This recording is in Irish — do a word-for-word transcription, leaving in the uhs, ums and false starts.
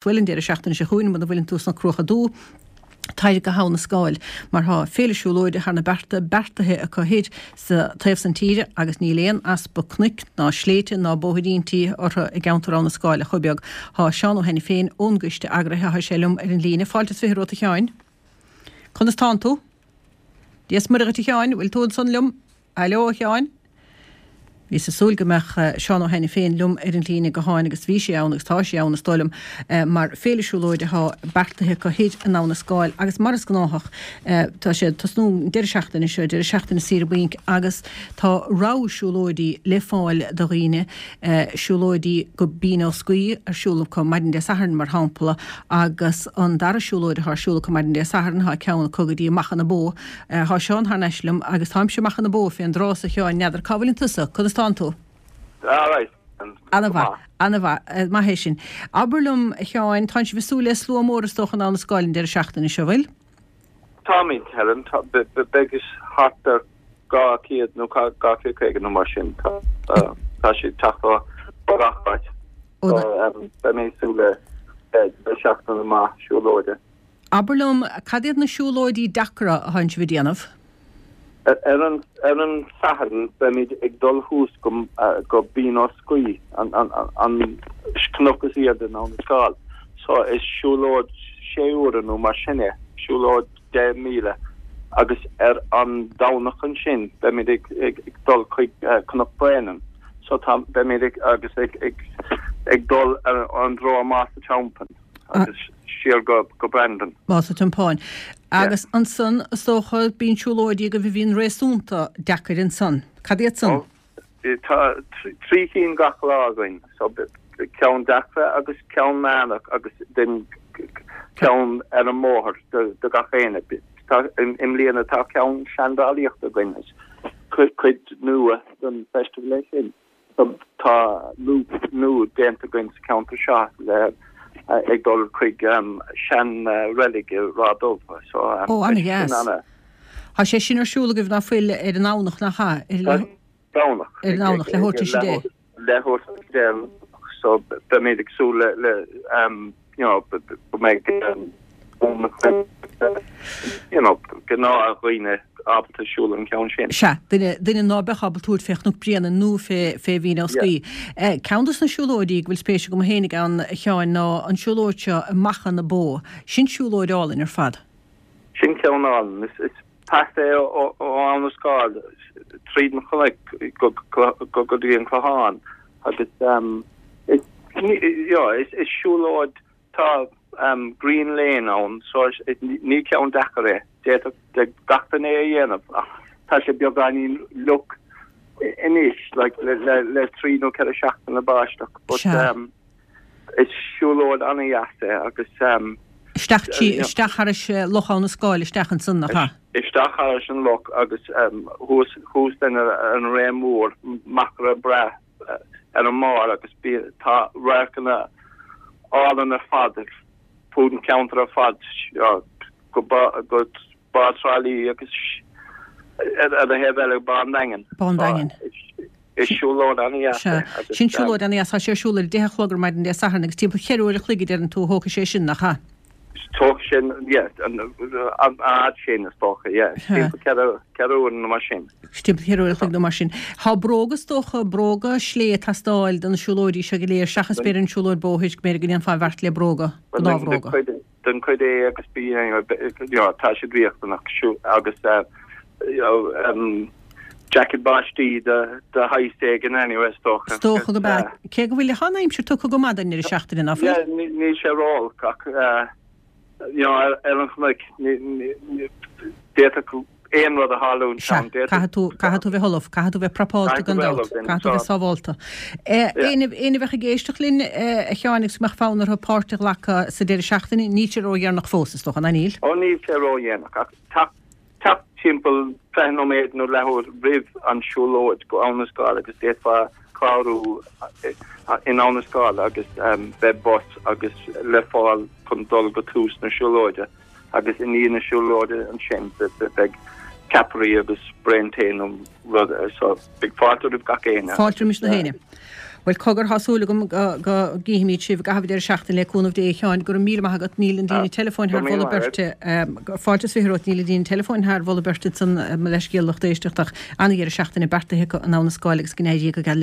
Bhuel, an deireadh seachtaine seo chugainn, muna bhfuileann tú sna Cruacha Dubha, tar go hAbha na Scáil, mar tá féile siúlóide thar na bearta beartaithe acu thoir sa taobh san tíre agus níl aon easpa cnoic ná sléibhte ná bóithríntí orthu i gceantar Abha na Scáil ach chomh beag. Tá Seán Ó hAiniféin ón gcoiste eagraithe, tá sé liom ar an líne. Fáilte is fiche romhat a Sheáin. Conas tánn tú? Dia is Muire dhuit a Sheáin, bhfuil tú ansan liom? Aileo a Sheáin? Bhíos ag súil go mbeadh Seán Ó hAiniféin liom ar an líne gutháin agus bhí sé ann agus tá sé ann is dóigh liom mar féile siúlóide atá beartaithe acu thoir in Abha na Scáil agus mar is gnáthach tá sé ag tosnú an deireadh seachtaine seo, deireadh seachtaine saoire bainc agus tá rogha siúlóidí le fáil do dhaoine, siúlóidí go Binn Ó Scaoth ar siúl acu maidin Dé Sathairn mar shampla agus an dara siúlóid atá ar siúl acu maidin Dé Sathairn tá ceann acu go dtí Macha na Bó. Tá Seán thar n-ais liom agus táimse i Macha na Bó fén dtrá a Sheáin, n'fheadar cá bhfuileann tusa, conas tánn tú? Alright. Ana-mhaith, ana-mhaith, maith é sin. Abair liom, a Sheáin, tánn sibh ag súil le slua mór is dócha in Abha na Scáil an deireadh seachtaine seo, bhfuil? Táimid, Helen, beidh thart ar dhá chéad nó dhá chéad caoga nó mar sin. Tá siad teacht ó gach áit. Beimid ag súil le deireadh seachtaine maith siúlóide. Abair liom, cad iad na siúlóidí deacra a thánn sibh ag déanamh? Ar an ar an Satharn beimid ag dul thuas go go Binn Ó Scaoth, an an an cnoc is airde in Abha na Scáil. So is siúlóid sé uaire nó mar sin é, siúlóid deich míle. Agus ar an Domhnach ansin beimid ag ag dul chuig Cnoc Bréanainn. So tá beimid ag agus ag ag ag dul ar an dtreo Más a' Teampáin. agus siar go go Brandon. Más a' Tiompáin. Agus ansan, is dócha, bíonn siúlóidí agaibh a bhíonn réasúnta deacair ansan. Cad iad san? Ó, tá trí cinn gach lá againn, so ceann deacra agus ceann meánach agus then ceann ar an mbóthar do do gach éinne. Tá i mbliana tá ceann seandálaíochta againn, is cuid nua den festival é sin. Tá loop nua déanta againn sa cheantar seo le ag dul chuig sean reilig i Ráth Dubh. So Ó, ana-dheas. Tá sé sin ar siúl agaibh ná fuil ar an nDomhnach nach ea? Ar Domhnach. Ar an nDomhnach, leathuair tar éis a deich. Leathuair tar éis a deich. So beimid ag súil le le you know go mbeidh you know gnáthdhaoine ábalta siúl an ceann sin. Sea, duine, duine ná beadh ábalta tabhairt fé Chnoc Bréanainn nó fé, fé Bhinn Ó Scaoth. Ceann dos na siúlóidí go bhfuil spéis agam fhéinig ann, a Sheáin, ná an siúlóid seo i Macha na Bó. Sin siúlóid álainn ar fad. Sin ceann álainn. Is, is pas é ó, ó Abha na Scáil tríd an chnoic go, go, go, go dtí an Clochán agus is, you know, is, is siúlóid Tá Green Lane ann so ní ceann deacair é. D'fhéadfadh gach duine é a dhéanamh ach tá sé beagáinín fhliuch anois like le le trí nó ceithre seachtaine báisteach but is siúlóid an-dheas é agus Isteach trí isteach thairis Loch Abha na Scáil isteach ansan nach ea? Isteach thairis an loch agus thuas thuas then ar an Ré Mór machaire breá ar an mbarr agus tá radharcanna álainn ar fad fud an cheantair ar fad go go Bá Trá Lí agus ar an thaobh eile Bá an Daingin. Bá an Daingin. Is siúlóid an-dheas é. Sin siúlóid an-dheas. Tá sé ar siúl ar a deich a chlog ar maidin Dé Sathairn agus timpeall cheithre uair a chloig a deireann tú a thógfaidh sé sin, nach ea? Tógfaidh sé, yeah, an fhad sin is dócha, yeah. Timpeall ceithre ceithre uair nó mar sin. Timpeall cheithre uair a chloig nó mar sin. Tá bróga is dócha, bróga slé ag teastáil do na siúlóidí seo go léir seachas b'fhéidir an siúlóid bóthair go mb'fhéidir go ndéanfá an bheart le bróga, gnáthbhróga. Den chuid A agus B you know tá siad riachtanach agus you know jacket báistí de de shaghas éigin anyway is dócha. Is dócha go ea. Cé go bhfuil an aimsir tugtha go maith don ndeireadh seachtaine ná fuil? Yeah níl sé ró-olc ach you know ar an chnoic d'fhéadfadh aon rud a tharlúint Sea, ann. Caithfidh tú, caithfidh tú bheith ullamh, caithfidh tú bheith prapálta gan dabht, caithfidh tú bheith sábhálta. Éinne, éinne a bheadh ag éisteacht linn, a Sheáin, agus go mbeadh fonn orthu páirt a ghlacadh sa deireadh seachtaine, níl sé ródheireanach fós, is dócha, ná níl? Ó, níl sé ródhéanach, ach teacht, teacht timpeall fiche nóiméad nó leathuair roimh an siúlóid go Abha na Scáil agus d'fhéadfá clárú in Abha na Scáil agus beidh bus agus le fáil chun dul go tús na siúlóide. Agus i ndiaidh na siúlóide ansin beidh ceapairí agus braon tae nó rud so beidh fáilte roimh gach éinne. Fáilte roimis na héinne. Bhuel cogar, tá súil agam go go gcífimid sibh i gcaitheamh an deireadh seachtaine le cúnamh Dé a Sheáin. Go raibh míle maith agat. Níl an líne teileafóin thar mholadh beirte. Fáilte is fiche romhat. Níl an líne teileafóin thar mholadh beirte ansan, mo leithscéal lucht éisteachta ach an-dheireadh seachtaine beartaithe acu in Abha na Scáil agus go n-éirí go geal leo.